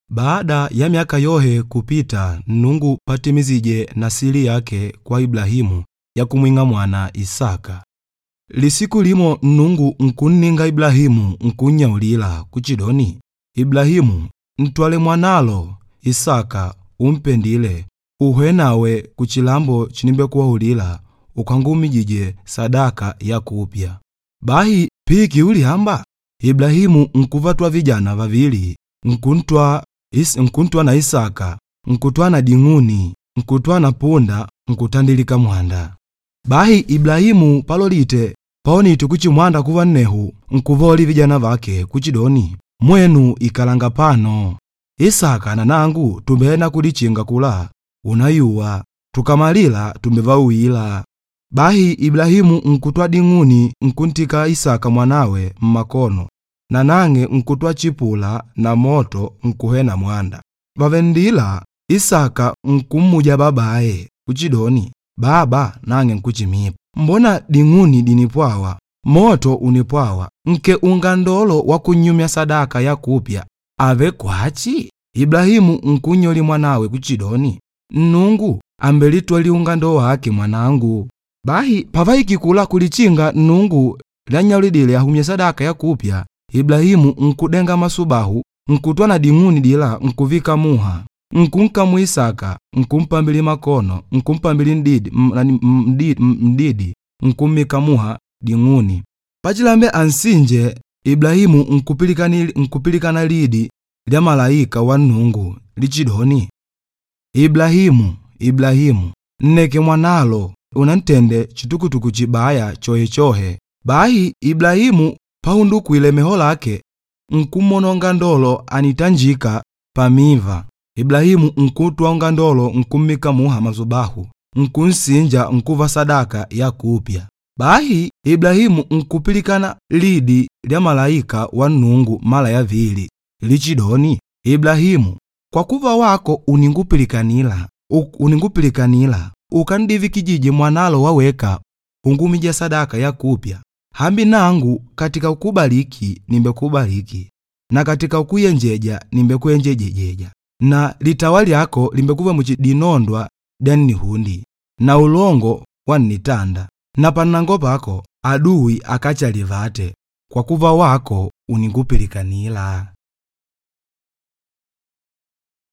Baada ya myaka yohe kupita Nnungu patimizije nasili yake kwa Iblahimu ya kumwing'a mwana Isaka. Lisiku limo Nnungu nkunninga Iblahimu nkunnyaulila kuchidoni, Iblahimu, ntwale mwanalo Isaka umpendile uhwe nawe kuchilambo chinimbekuwaulila ukangumijije sadaka ya kupya. Bahi piki uliamba Iblahimu nkuvatwa vijana vavili nkuntwa na Isaka nkutwa na ding'uni nkutwa na punda nkutandilika mwanda. Bahi Iblahimu palolite paonite kuchimwanda kuva nnehu nkuvoli vijana vake kuchidoni, mwenu ikalanga pano Isaka na nangu tumbena kulichinga kula unayuwa tukamalila tumbevauwila. Bahi Iblahimu nkutwa ding'uni nkuntika Isaka mwanawe mmakono na nange nkutwa chipula na moto nkuhena mwanda. Vavendila Isaka nkummuja babaye kuchidoni, baba nange nkuchimipa, mbona ding'uni dinipwawa moto unipwawa nke ungandolo wa kunyumya sadaka ya kupya ave kwachi? Iblahimu nkunyoli mwanawe kuchidoni, Nnungu ambelitwali ungando wake mwanangu. Bahi pavaikikula kulichinga Nnungu lyanyaulidile ahumye sadaka ya kupya, Iblahimu nkudenga masubahu nkutwa na ding'uni dila nkuvika muha nkunkamu Isaka nkumpambili makono nkumpambili mdidi nkummika muha ding'uni. Pachilambe ansinje Iblahimu nkupilikana lidi lya malaika wa Nnungu lichidoni, Iblahimu, Iblahimu, nneke mwanalo unantende chitukutuku chibaya chohechohe. Bahi Iblahimu pahundukwile meho lake nkumononga ndolo anitanjika pamiva. Iblahimu nkutwa ungandolo nkummika muha mazubahu nkunsinja nkuva sadaka ya kupya. Bahi Iblahimu nkupilikana lidi lya malaika wa Nnungu mala ya vili lichidoni, Iblahimu, kwa kuva wako uningupilikanila ukandivikijije mwanalo waweka ungumija sadaka ya kupya, hambi nangu katika ukubaliki nimbekubaliki na katika ukuyenjeja nimbekuyenjejejeja na litawa lyako limbekuva muchidinondwa dya nnihundi na ulongo wa nnitanda na pannango pako aduwi akachalivate kwa kuva wako uningupilikanila.